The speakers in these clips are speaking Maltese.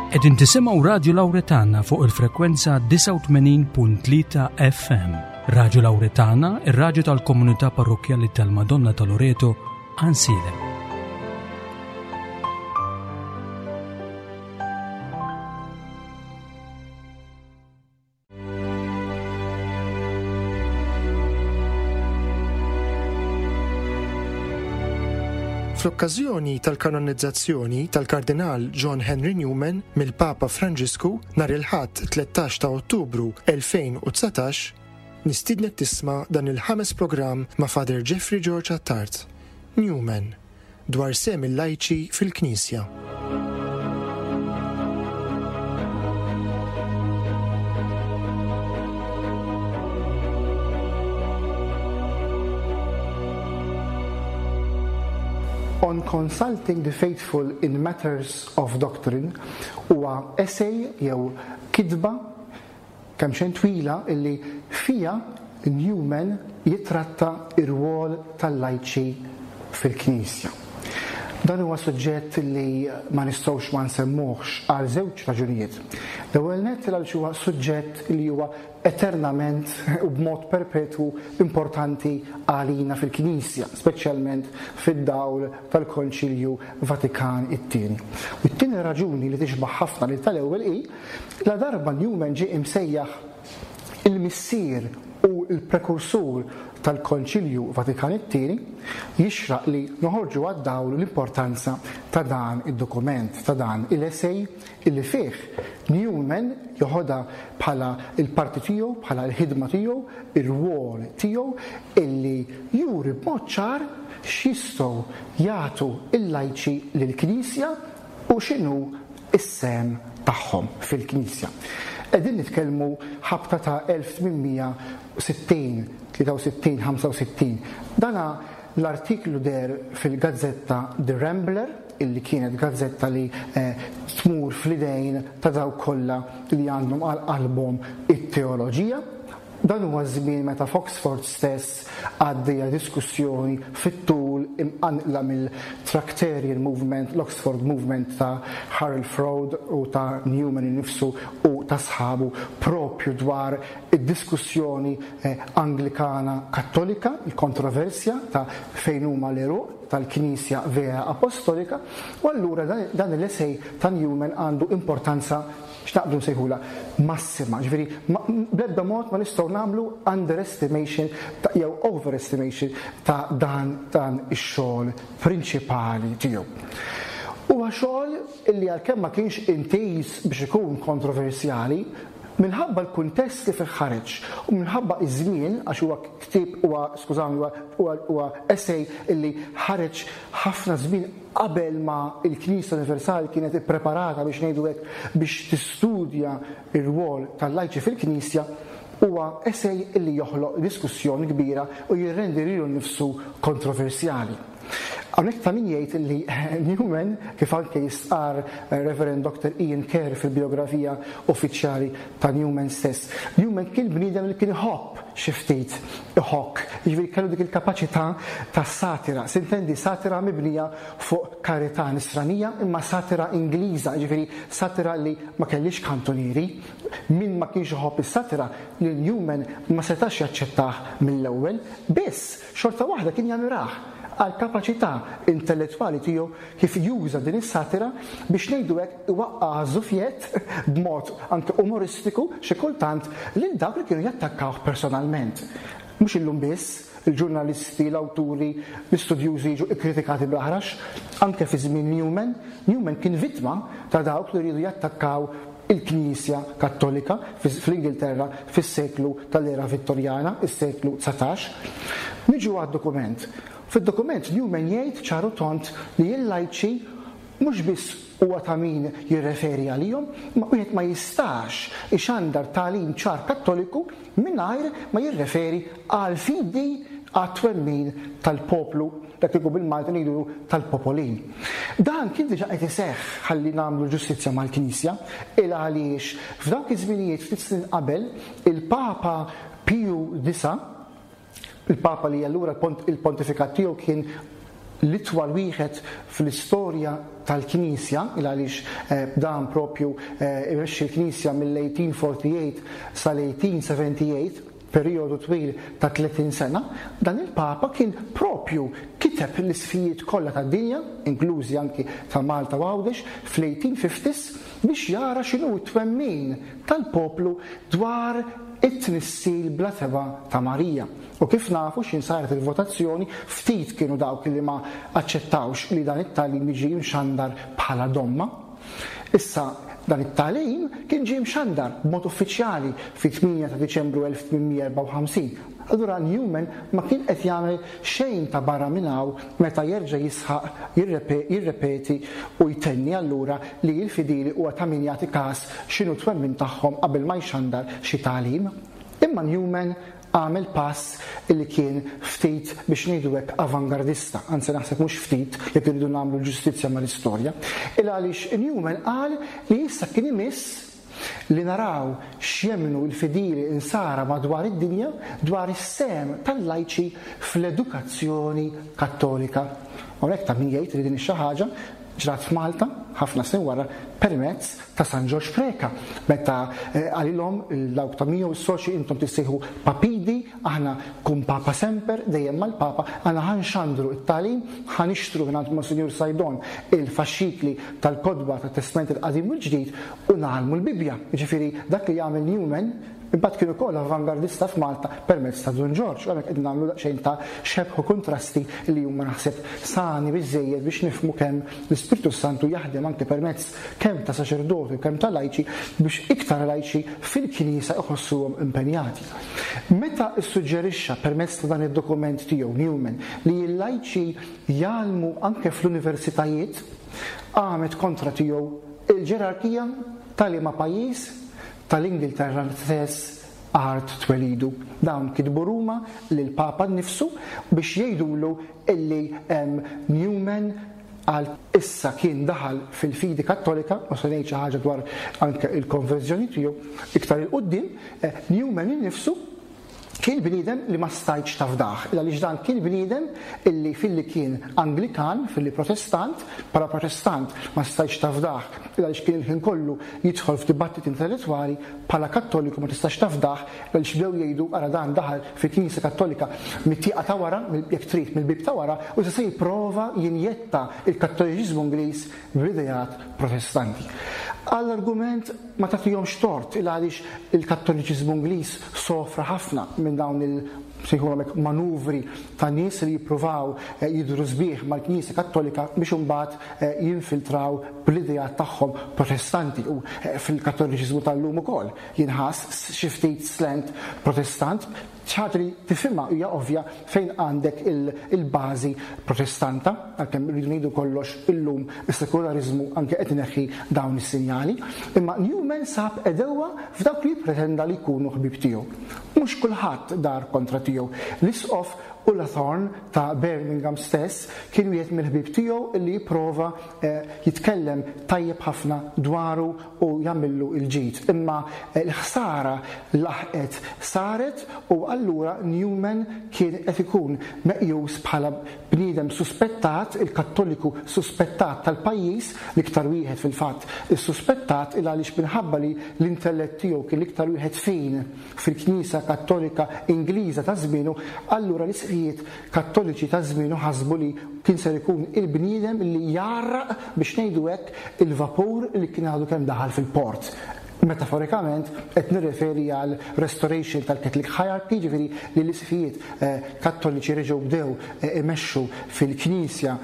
Qegħdin tisimgħu Radju Lawretana fuq il-frekwenza 89.3 FM. Radju Lawretana, ir-radju tal-komunità parrokkjali tal-Madonna ta' Loreto, Ansiedem. Fl-okkażjoni tal-kanonizzazzjoni tal-Kardinal John Henry Newman mill-Papa Franġisku nhar il-Ħadd 13 ta' Ottubru 2019, nistiednek tisma' dan il-ħames programm ma' Father Jeffrey George Attard. Newman. dwar sehem il-lajċi fil-Knisja. On Consulting the Faithful in Matters of Doctrine huwa essay jew kitba kemxejn twila illi fiha Newman jittratta r-rwol tal-lajċi fil-Knisja. Dan huwa suġġett li ma nistgħux ma nsemmuhx għal żewġ raġunijiet. L-ewwel nett għaliex huwa suġġett li huwa eternament u b'mod perpetwu importanti għalina fil-Knisja, speċjalment fid-dawl tal-Konċilju Vatikan it-Tieni. U t-tieni raġuni li tixbah ħafna lil tal-ewwel hi Ladarba Newman ġie imsejjaħ il-missier u l-prekursur tal-Konċilju Vatikan it-Tieni, jixraq li noħorġu għad-dawl l-importanza ta' dan id-dokument, ta' dan il-essay illi fih Newman joħodha bħala l-parti tiegħu, bħala l-ħidma tiegħu, ir-rwol tiegħu illi juri b'mod ċar x'jistgħu jagħtu l-lajċi lill-Knisja u x'inhu s-sehem tagħhom fil-Knisja. Qegħdin nitkellmu ħabta ta' 1860, 63, 65. Dana l-artiklu deher fil-gazzetta The Rambler, illi kienet gazzetta li tmur fl-idejn ta' dawk kollha li għandhom għal qalbhom it-teoloġija. Dan huwa ż-żmien meta f'Oxford stess għaddejja diskussjoni fit-tul imqanqla mill-Tractarian Movement, l-Oxford Movement ta' Harold Froude u ta' Newman innifsu u ta' sħabu proprju dwar id-diskussjoni Anglikana Kattolika, il-kontroversja ta' fejn huma l-għeruq tal-Knisja vera Apostolika, u allura dan l-essay ta' Newman għandu importanza x'naqbdu nsejħulha, massima, ġifieri bl-ebda mod ma nistgħu nagħmlu underestimation jew overestimation ta' dan dan ix-xogħol prinċipali tiegħu. Huwa xogħol illi għalkemm ma kienx intiż biex ikun kontroversjali, minħabba l-kuntest li fih ħareġ u minħabba iż-żmien għax huwa ktieb huwa skużawni huwa huwa essay illi ħareġ ħafna żmien Qabel ma l-Knisja Universali kienet ippreparata biex ngħidu hekk biex tistudja r-rwol tal-lajċi fil-Knisja, huwa essay li joħloq diskussjoni kbira u jirrendi lilu nnifsu kontroversjali. Hawnhekk ta' min jgħid li Newman, kif anke jistqarr Reverend Doctor Ian Kerr fil-bijografija uffiċjali ta' Newman stess, Newman kien bniedem li kien iħobb xi ftit iħokk, jiġifieri kellu dik il-kapaċità ta' satira, sintendi satira mibnija fuq karità nisranija imma satira Ingliża, jiġifieri satira li ma kellhiex kantunieri. Min ma kienx iħobb is-satira lil Newman ma setax jaċċettah mill-ewwel, biss xorta waħda kien jammirah għall-kapaċità intellettwali tiegħu kif juża din is-satira biex ngħidu hekk iwaqqa' għaż-żufjett b'mod anke umoristiku xi kultant lil dawk li kienu jattakkawh personalment. Mhux illum biss, il-ġurnalisti, l-awturi, l-istudjużi jiġu kkritikati bl-aħrax, anke fi żmien Newman. Newman kien vittma ta' dawk li riedu jattakkaw il-Knisja Kattolika fl-Ingilterra fis-seklu tal-era Vittorjana, is-seklu 19. Niġu għad-dokument. Fid-dokument Newman jgħid ċar u tond li l-lajċi mhux biss huwa ta' min jirreferi għalihom, imma wieħed ma jistax ixandar tagħlim ċar Kattoliku mingħajr ma jirreferi għall-fidi, għat-twemmin tal-poplu, dak li bil-Malti ngħidulu tal-popolin. Dan kien diġà qed iseħħ, ħalli nagħmlu ġustizzja mal-Knisja, il għaliex f'dawk iż-żminijiet ftit snin qabel il-Papa Piju IX, Il-Papa li allura il-pontifikat tiegħu kien l-itwal wieħed fl-istorja tal-Knisja, il għaliex dan propju imexxi l-Knisja mill-1848 sal-1878, perijodu twil ta' 30 sena, dan il-Papa kien propju kiteb l-isqfijiet kollha tad-dinja, inklużi anki ta' Malta u Għawdex, fl-1850s biex jara x'inhu t-twemmin tal-poplu dwar it-tnissil bla tebgħa ta' Marija. U kif nafu x'ħin saret il-votazzjoni, ftit kienu dawk li ma aċċettawx li dan it-tagħlim jiġi mxandar bħala domma. Issa, dan it-tagħlim kien ġie mxandar b'mod uffiċjali fit-8 ta' Diċembru 1854. Allura Newman ma kien qed jagħmel xejn ta' barra minn hawn meta jerġa' jisħaq, jirrepeti u jtenni allura li l-fidili huwa ta' min jagħti kas x'inhu t-twemmin tagħhom qabel ma jxandar xi tagħlim. Imma Newman għamel pass li kien ftit, biex ngħidu hekk, avangardista, anzi naħseb mhux ftit jekk irridu nagħmlu l-ġustizzja mal-istorja, il għaliex Newman qal li issa kien imiss li naraw x'jemmnu l-fidili Insara madwar id-dinja dwar is-sehem tal-lajċi fl-edukazzjoni Kattolika. Hawnhekk ta' min jgħid li din ix-xi ħaġa ġrat f'Malta ħafna snin wara permezz ta' San Ġorġ Preca meta qalilhom dawk ta' miegħu s-soċji intom tissejħu papidi, aħna cum papa semper, dejjem mal-Papa, aħna ħa nxandru t-tagħlim, ħa nixtru mingħand Monsinjur Saydon il-faxxikli tal-kotba tat-Testment il-Qadim u l-Ġdid u ngħallmu l-Bibbja. Jiġifieri dak li għamel Newman imbagħad kien ukoll avangardista f'Malta permezz ta' Dun Ġorġ, u hemmhekk qegħdin nagħmlu daqsxejn ta' xebh u kuntrasti li huma naħseb sani biżżejjed biex nifhmu kemm l-Ispirtu s-Santu jaħdem anke permezz kemm ta' saċerdoti u kemm ta' lajċi biex iktar lajċi fil-Knisja iħossuhom impenjati. Meta ssuġġerixxa permezz ta' dan id-dokument tiegħu Newman li l-lajċi jgħallmu anke fl-universitajiet, qamet kontra tiegħu il-ġerarkija ta' liema pajjiż? Tal-Ingilterra stess art twelidu. Dawn kitbu Ruma lill-Papa nnifsu biex jgħidulu illi Newman għal issa kien daħal fil-fidi Kattolika, u se ngħid xi ħaġa dwar anke il-konverżjoni tiegħu iktar 'il quddiem, Newman innifsu kien bniedem li ma stajtx tafdah, il għaliex dan kien bniedem illi filli kien Anglikan, filli Protestant, bħala Protestant ma stajtx tafdah, il għaliex kien il-ħin kollu jidħol f'dibattiti intellettwali, bħala Kattoliku ma tistax tafdah, il għaliex bdew jgħidu ara dan daħal fil-Knisja Kattolika mit-tieqa ta' wara, jekk trid mill-bieb ta' wara, u issa se jipprova jinjetta l-Kattoliċiżmu Ingliż bl-ideat Protestanti. Għall-argument ma tagħtihomx tort il għaliex il-Kattoliċiżmu Ingliż sofra ħafna minn dawn il sejħulhom hekk manuvri ta' nies li jippruvaw jidhru sbieħ mal-Knisja Kattolika biex imbagħad jinfiltraw bl-ideat tagħhom Protestanti u fil-Kattoliċiżmu tal-lum ukoll jinħass xi ftit slant Protestant. Xi ħaġa li tifhimha hija ovvja fejn għandek il-bażi Protestanta, għalkemm irridu ngħidu kollox illum is-sekulariżmu anke qed ineħħi dawn is-sinjali. Imma Newman sab għedewwa f'dawk li jippretenda li jkunu ħbieb tiegħu. Mhux kulħadd dar kontra tiegħu. L-Isqof Ullathorne ta' Birmingham stess kien wieħed mill-ħbieb tiegħu li jipprova jitkellem tajjeb ħafna dwaru u jagħmillu l-ġid. Imma l-ħsara laħqet saret u allura Newman kien qed ikun meqjus bħala bniedem suspettat, il-Kattoliku suspettat tal-pajjiż, l-iktar wieħed fil-fatt issuspettat il għaliex minħabba li l-intellett tiegħu kien l-iktar wieħed fin fil-Knisja Kattolika Ingliża ta' żmienu, allura l-isqfijiet Kattoliċi ta' żmienu ħasbu li kien ser ikun il-bniedem li jgħarraq, biex ngħidu hekk, il-vapur li kien għadu kemm daħal fil-port. Metaforikament qed nirreferi għal restoration tal-Catholic hierarchy, jiġifieri li l-isqfijiet Kattoliċi reġgħu bdew imexxu fil-Knisja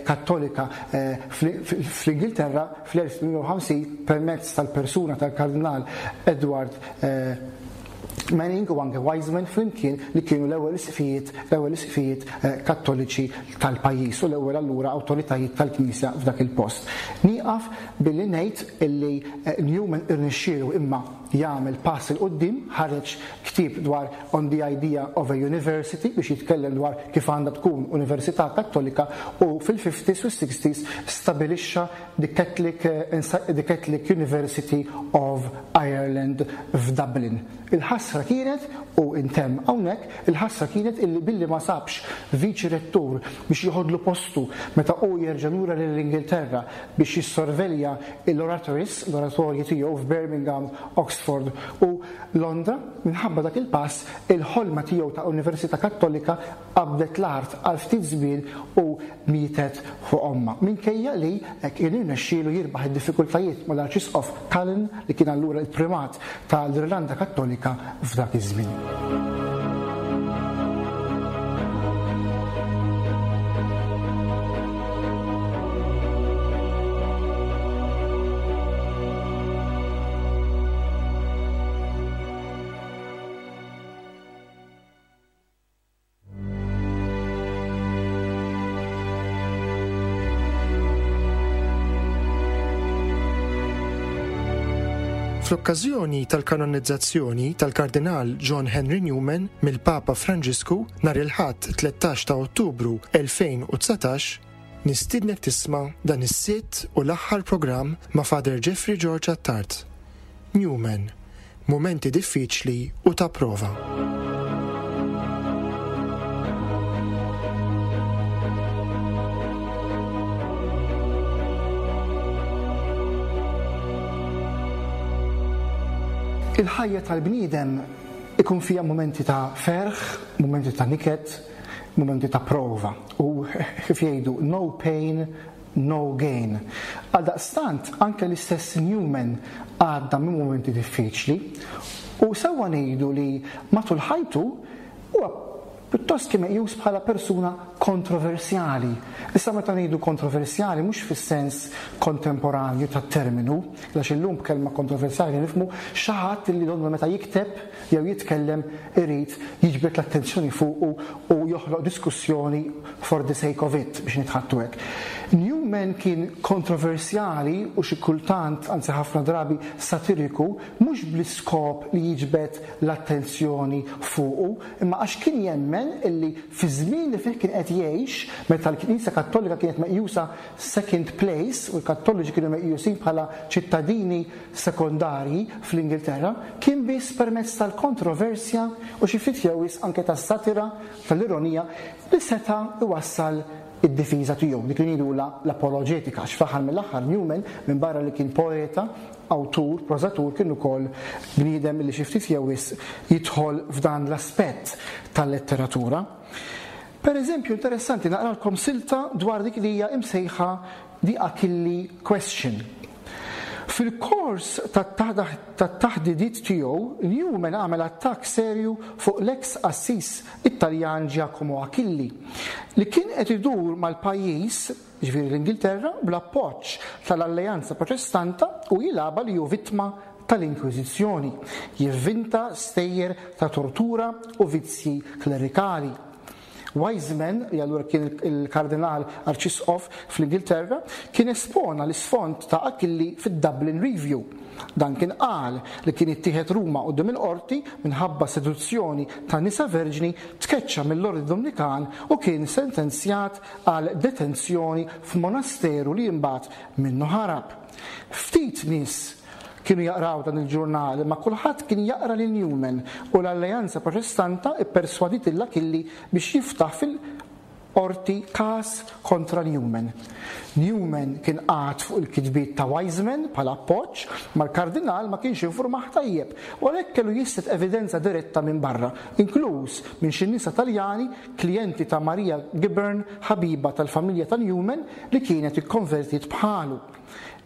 Kattolika fl-Ingilterra fl-1850 permezz tal-persuna tal-Kardinal Edward Manning u anke Wiseman flimkien li kienu l-ewwel isqfijiet l-ewwel isqfijiet Kattoliċi tal-pajjiż u l-ewwel allura awtoritajiet tal-Knisja f'dak il-post. Nieqaf billi ngħid illi Newman irnexxielu imma jagħmel pass 'il quddiem, ħareġ ktieb dwar On the Idea of a University biex jitkellem dwar kif għandha tkun università Kattolika u fil-fifties u s-sixties stabilixxa the Catholic the Catholic University of Ireland f'Dublin. Il-ħasra kienet, u ntemm hawnhekk, il-ħasra kienet illi billi ma sabx viċi rettur biex joħodlu postu meta hu jerġa' lura lill-Ingilterra biex jissorvelja l-oratories, l-oratorji tiegħu f'Birmingham, Oxford u Londra, minħabba dak il-pass, il-ħolma tiegħu ta' università Kattolika qabdet l-art għal ftit żmien u mietet fuq ommha. Minkejja li kien irnexxielu jirbaħ id-diffikultajiet mal-Arċisqof Cullen li kien allura l-Primat ta' l-Irlanda Kattolika f'dak iż-żmien. Fl-okkażjoni tal-kanonizzazzjoni tal-Kardinal John Henry Newman mill-Papa Franġisku nhar il-Ħadd 13 ta' Ottubru 2019, nistiednek tisma' dan is-sitt u l-aħħar programm ma' Father Jeffrey George Attard. Newman, Mumenti diffiċli u ta' prova. Il-ħajja tal-bniedem ikun fiha mumenti ta' ferħ, mumenti ta' niket, mumenti ta' prova. U kif jgħidu, no pain, no gain. Għaldaqstant, anke l-istess Newman għadda minn mumenti diffiċli u sewwa ngħidu li matul ħajtu huwa pjuttost kien meqjus bħala persuna kontroversjali. Issa meta ngħidu kontroversjali mhux fis-sens kontemporanju tat-terminu, għax illum b'kelma kontroversjali nifhmu xi ħadd li donnu meta jikteb jew jitkellem irid jiġbed l-attenzjoni fuqu u joħloq diskussjoni for the sake of it, biex nitħaddtu hekk. Newman kien kontroversjali u xi kultant, anzi ħafna drabi, satiriku, mhux bl-iskop li jiġbed l-attenzjoni fuqu, imma għax kien jemmen illi fiż-żmien li fih kien qed jgħix, meta l-Knisja Kattolika kienet meqjusa second place u l-Kattoliċi kienu meqjusin bħala ċittadini sekondarji fl-Ingilterra, kien biss permezz tal-kontroversja u xi ftit jew wisq anke tas-satira, tal-ironija, li seta' jwassal id-difiża tiegħu, dik li ngħidulha l-apoloġetika, għax fl-aħħar mill-aħħar Newman, minbarra li kien poeta, awtur, prożatur, kien ukoll bniedem li xi ftit jew wisq jidħol f'dan l-aspett tal-letteratura. Per eżempju, interessanti naqralkom silta dwar dik li hija imsejħa The Achille Question. Fil-kors tat-taħdidiet tiegħu, Newman għamel attakk serju fuq l-eks qassis Italjan Giacomo Achilli, li kien qed idur mal-pajjiż, jiġifieri l-Ingilterra, bl-appoġġ tal-Alleanza Protestanta u jilgħabha li hu vittma tal-Inkwiżizzjoni, jivvinta stejjer ta' tortura u vizzji klerikali. Wiseman, li allura kien il-Kardinal Arċisqof fl-Ingilterra, kien espona l-isfond ta' Achilli fid-Dublin Review. Dan kien qal li kien ittieħed Ruma quddiem il-qorti minħabba seduzzjoni ta' nisa verġni, tkeċċa mill-Ordni Dumnikan u kien sentenzjat għal detenzjoni f'monasteru li imbagħad minnu ħarab. Ftit nies Kienu jaqraw dan il-ġurnal, imma kulħadd kien jaqra lil Newman u l-Alleanza Protestanta pperswadiet lil Achilli biex jiftaħ fil-qorti każ kontra Newman. Newman kien qagħad fuq il-kitbiet ta' Wiseman bħala appoġġ, imma l-Kardinal ma kienx infurmah tajjeb u għalhekk kellu jislet evidenza diretta minn barra, inkluż minn xi nisa Taljani, klijenti ta' Maria Gibbern, ħabiba tal-familja ta' Newman li kienet ikkonvertiet bħalu.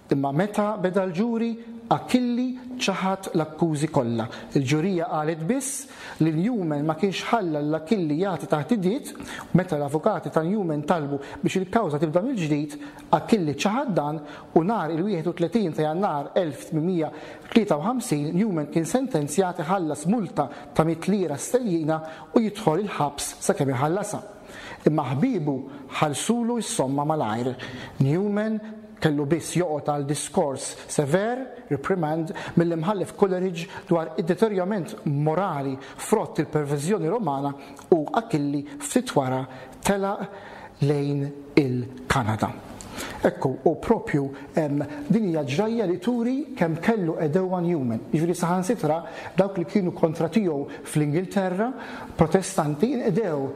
Imma meta beda l-ġuri, Achilli ċaħad l-akkużi kollha. Il-ġurija qalet biss li Newman ma kienx ħalla lil Achilli jagħti taħdidiet u meta l-avukati ta' Newman talbu biex il-kawża tibda mill-ġdid, Achilli ċaħad dan u nhar il-31 ta' Jannar 1853 Newman kien sentenzjat iħallas multa ta' mitt lira sterlina u jidħol il-ħabs sakemm iħallasha. Imma ħbiebu ħallsulu s-somma malajr. Newman. kellu biss joqgħod għal diskors sever, reprimand, mill-Imħallef Coleridge dwar id-deterjament morali frott il-perverżjoni Romana u Achilli ftit wara telaq lejn il-Kanada. Ekku, u propju din hija ġrajja li turi kemm kellu għedewwa Newman. Jiġifieri saħansitra dawk li kienu kontra tiegħu fl-Ingilterra, Protestanti, inqdew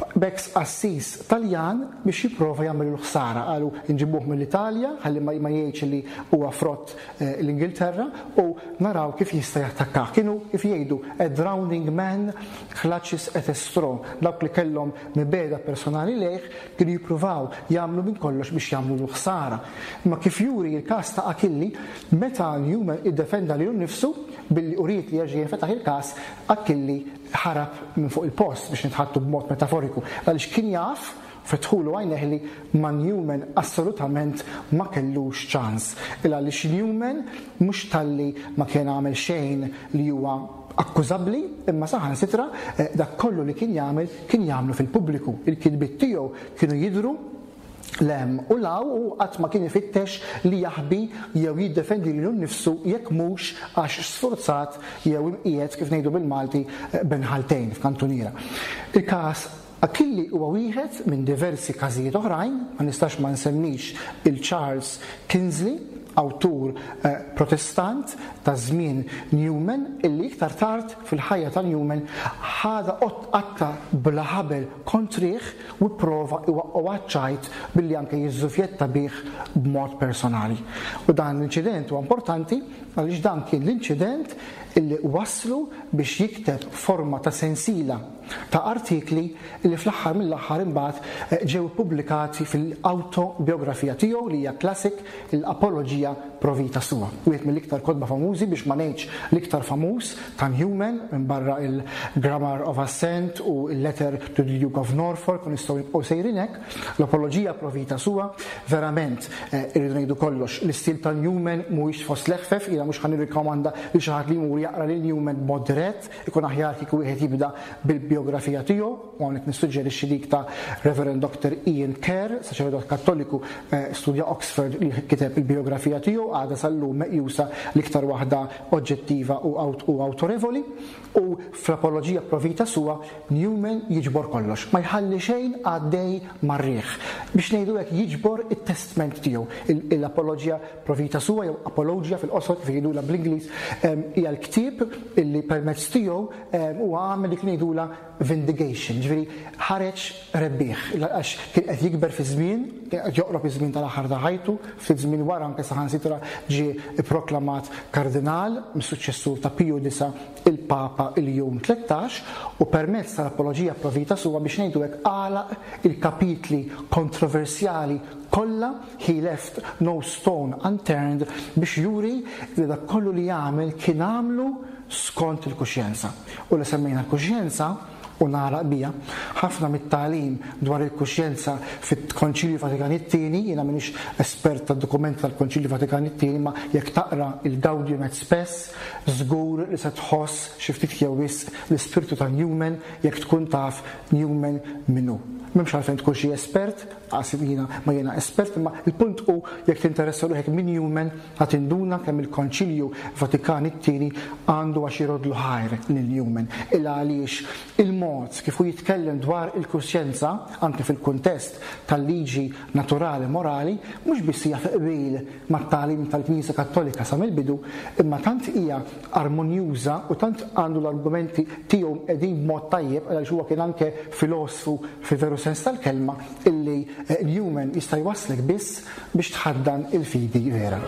b'ex qassis Taljan biex jipprova jagħmillu ħsara. Qalu nġibuh mill-Italja ħalli ma jgħidx li huwa frott l-Ingilterra u naraw kif jista' jattakkah. Kienu kif jgħidu a drowning man clutches at a straw. Dawk li kellhom mibegħda personali lejh kienu jippruvaw jagħmlu minn kollox biex jagħmlulu ħsara. Imma kif juri l-każ ta' Achilli, meta Newman iddefenda lilu nnifsu billi uriet li jerġa' jinfetaħ il-każ, Achilli ħarab minn fuq il-post biex nitħaddtu b'mod metaforiku, għaliex kien jaf, fetħulu għajnejh li ma' Newman assolutament ma kellux ċans. Il għaliex Newman mhux talli ma kien għamel xejn li huwa akkużabbli, imma saħansitra dak kollu li kien jagħmel kien jagħmlu fil-pubbliku. Il-kitbiet tiegħu kienu jidhru 'l hemm u 'l hawn u qatt ma kien ifittex li jaħbi jew jiddefendi lilu nnifsu jekk mhux għax sfurzat jew imqiegħed, kif ngħidu bil-Malti, bejn ħaltejn, f'kantuniera. Il-każ Achilli huwa wieħed minn diversi każijiet oħrajn, ma nistax ma nsemmix il Charles Kinsley, awtur Protestant ta' żmien Newman illi iktar tard fil-ħajja ta' Newman ħadha qatta bla ħabel kontrih u pprova iwaqqgħu għaċ-ċajt billi anke jiżżufjetta bih b'mod personali. U dan l-inċident huwa importanti għaliex dan kien l-inċident illi wasslu biex jikteb forma ta' sensiela ta' artikli li fl-aħħar mill-aħħar imbagħad ġew ippubblikati fil-awtobiografija tiegħu li hija classic l-Apologia pro Vita Sua. Wieħed mill-iktar kotba famużi biex ma ngħidx l-iktar famuż ta' Newman minbarra il-Grammar of Assent u l-Letter to the Duke of Norfolk u nistgħu nibqgħu sejrin hekk. L-Apologia pro Vita Sua verament irridu ngħidu kollox l-istil ta' Newman mhuwiex fost l-eħfef, jiena mhux ħa nirrikkomanda lil xi ħadd li jmur jaqra lil Newman b'mod dirett. Ikun aħjar kieku wieħed jibda bil-bijografija tiegħu, u hawnhekk nissuġġerixxi dik ta' Reverend Doctor Ian Kerr, saċerdot Kattoliku studja Oxford li kiteb il-bijografija tiegħu, għadha sal-lum meqjusa l-iktar waħda oġġettiva u awtorevoli, u fl-Apologia pro Vita Sua Newman jiġbor kollox, ma jħalli xejn għaddej mar-riħ. Biex ngħidu hekk jiġbor it-testment tiegħu. L-Apologia Pro Vita Sua jew Apologia fil-qosor kif jgħidulha bl-Ingliż hija l-ktieb illi permezz tiegħu huwa għamel dik li ngħidulha vindication, ġifieri ħareġ rebbieħ għax kien qed jikber fiż-żmien, kien qed joqrob iż-żmien tal-aħħar ta' ħajtu, ftit żmien wara anke saħansitra ġie pproklamat kardinal mis-suċċessur ta' Piju disa' il-Papa Ljun 13 u permezz tal-Apologia Pro Vita Sua biex ngħidu hekk għalaq il-kapitli kontroversjali kollha He left no stone unturned biex juri li dak kollu li għamel kien għamlu skont il-kuxjenza. U la semmejna l-kuxjenza, u nagħlaq biha, ħafna mit-tagħlim dwar il-kuxjenza fit-Konċilju Vatikan it-Tieni, jiena m'iniex espert tad-dokumenti tal-Konċilju Vatikan it-Tieni, imma jekk taqra il-Gaudium et Spes, żgur li se tħoss xi ftit jew wisq l-ispirtu ta' Newman jekk tkun taf Newman min hu. M'hemmx għalfejn tkun xi espert, Qas jiena ma jiena espert, imma l-punt hu jekk tinteressa ruħek minn Newman ħa tinduna kemm il-Konċilju Vatikan it-Tieni għandu għax iroddlu ħajr lil Newman. Il għaliex il-mod kif hu jitkellem dwar il-kuxjenza, anke fil-kuntest tal-liġi naturali morali, mhux biss hija fi qbil mat-tagħlim tal-Knisja Kattolika sa mill-bidu, imma tant hija armonjuża u tant għandu l-argumenti tiegħu mqegħdin b'mod tajjeb għaliex huwa kien anke filosfu fil-veru sens tal-kelma illi Newman jista' jwasslek biss biex tħaddan il-fidi vera.